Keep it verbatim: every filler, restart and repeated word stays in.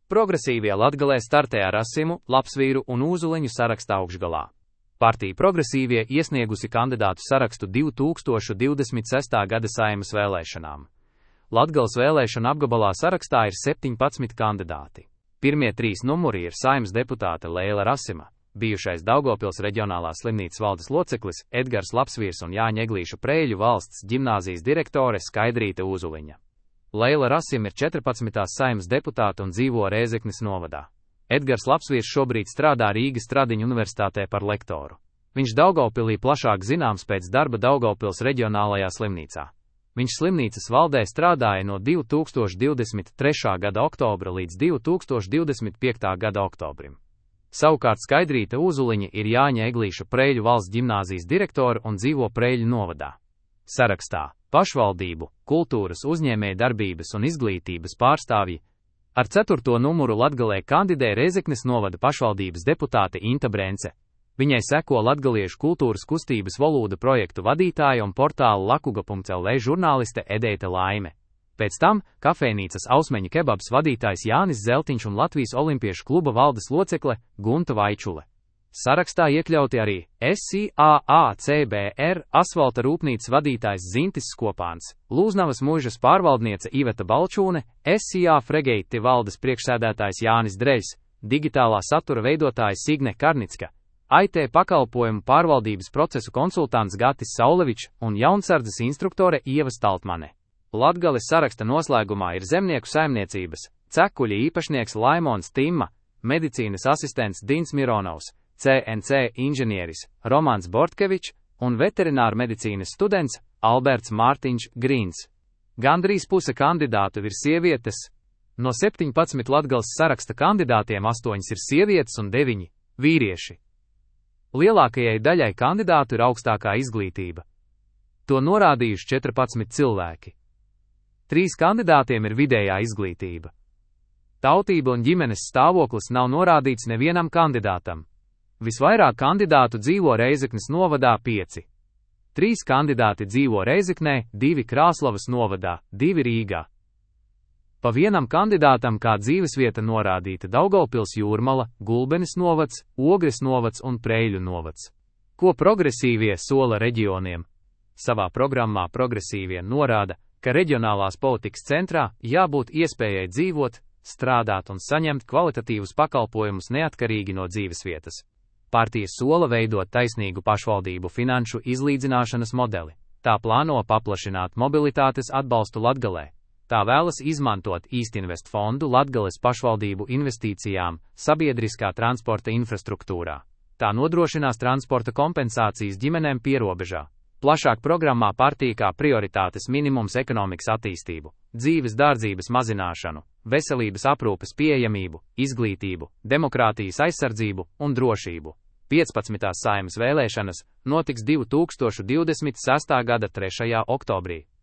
Progresīvie Latgalē startē ar Asimu, Lapsvīru un Ūzuliņu sarakstā augšgalā. Partija Progresīvie iesniegusi kandidātu sarakstu divi tūkstoši divdesmit sestā gada Saeimas vēlēšanām. Latgales vēlēšana apgabalā sarakstā ir septiņpadsmit kandidāti. Pirmie trīs numuri ir Saeimas deputāte Leila Rasima, bijušais Daugavpils reģionālās slimnīcas valdes loceklis Edgars Lapsvīrs un Jāņa Eglīša Preļu valsts ģimnāzijas direktore Skaidrīte Ūzuliņa. Leila Rasima ir četrpadsmitās Saeimas deputāte un dzīvo Rēzeknes novadā. Edgars Lapsvīrs šobrīd strādā Rīgas Stradiņu universitātē par lektoru. Viņš Daugavpilī plašāk zināms pēc darba Daugavpils reģionālajā slimnīcā. Viņš slimnīcas valdē strādāja no divi tūkstoši divdesmit trešā gada oktobra līdz divi tūkstoši divdesmit piektā gada oktobrim. Savukārt Skaidrīte Ūzuliņa ir Jāņa Eglīša Preļu valsts ģimnāzijas direktore un dzīvo Preļu novadā. Sarakstā pašvaldību, kultūras, uzņēmēja darbības un izglītības pārstāvji. Ar ceturto numuru Latgalē kandidē Rēzeknes novada pašvaldības deputāte Inta Brence. Viņai seko latgaliešu kultūras kustības Volūda projektu vadītāja un portāla lakuga punkts el vē žurnāliste Edeita Laime. Pēc tam kafejnīcas Ausmeņa kebabs vadītājs Jānis Zeltiņš un Latvijas olimpiešu kluba valdes locekle Gunta Vaičule. Sarakstā iekļauti arī es i a a ce be er asfalta rūpnīcas vadītājs Zintis Skopāns, Lūznavas muižas pārvaldniece Iveta Balčūne, es i a Fregeiti valdes priekšsēdētājs Jānis Dreļs, digitālā satura veidotājs Signe Karnicka, I T pakalpojumu pārvaldības procesu konsultants Gatis Saulevičs un jaunsardzes instruktore Ieva Staltmane. Latgales saraksta noslēgumā ir zemnieku saimniecības, cekuļa īpašnieks Laimons Timma, medicīnas asistents Dins Mironovs, ce en ce inženieris Romans Bortkevičs un veterināra medicīnas students Alberts Mārtiņš Grīns. Gandrīz puse kandidātu ir sievietes. No septiņpadsmit Latgales saraksta kandidātiem astoņas ir sievietes un deviņi vīrieši. Lielākajai daļai kandidātu ir augstākā izglītība. To norādījuši četrpadsmit cilvēki. Trīs kandidātiem ir vidējā izglītība. Tautība un ģimenes stāvoklis nav norādīts nevienam kandidātam. Visvairāk kandidātu dzīvo Rēzeknes novadā pieci. Trīs kandidāti dzīvo Rēzeknē, divi Krāslavas novadā, divi Rīgā. Pa vienam kandidātam kā dzīvesvieta norādīta Daugavpils Jūrmala, Gulbenes novads, Ogres novads un Preļu novads. Ko progresīvie sola reģioniem? Savā programmā progresīvie norāda, ka reģionālās politikas centrā jābūt iespējai dzīvot, strādāt un saņemt kvalitatīvus pakalpojumus neatkarīgi no dzīvesvietas. Partija sola veidot taisnīgu pašvaldību finanšu izlīdzināšanas modeli. Tā plāno paplašināt mobilitātes atbalstu Latgalē. Tā vēlas izmantot Īstinvest fondu Latgales pašvaldību investīcijām sabiedriskā transporta infrastruktūrā. Tā nodrošinās transporta kompensācijas ģimenēm pierobežā. Plašāk programmā partija kā prioritātes minimums ekonomikas attīstību, dzīves dārdzības mazināšanu, veselības aprūpes pieejamību, izglītību, demokrātijas aizsardzību un drošību. piecpadsmitās Saeimas vēlēšanas notiks divi tūkstoši divdesmit sestā gada trešajā oktobrī.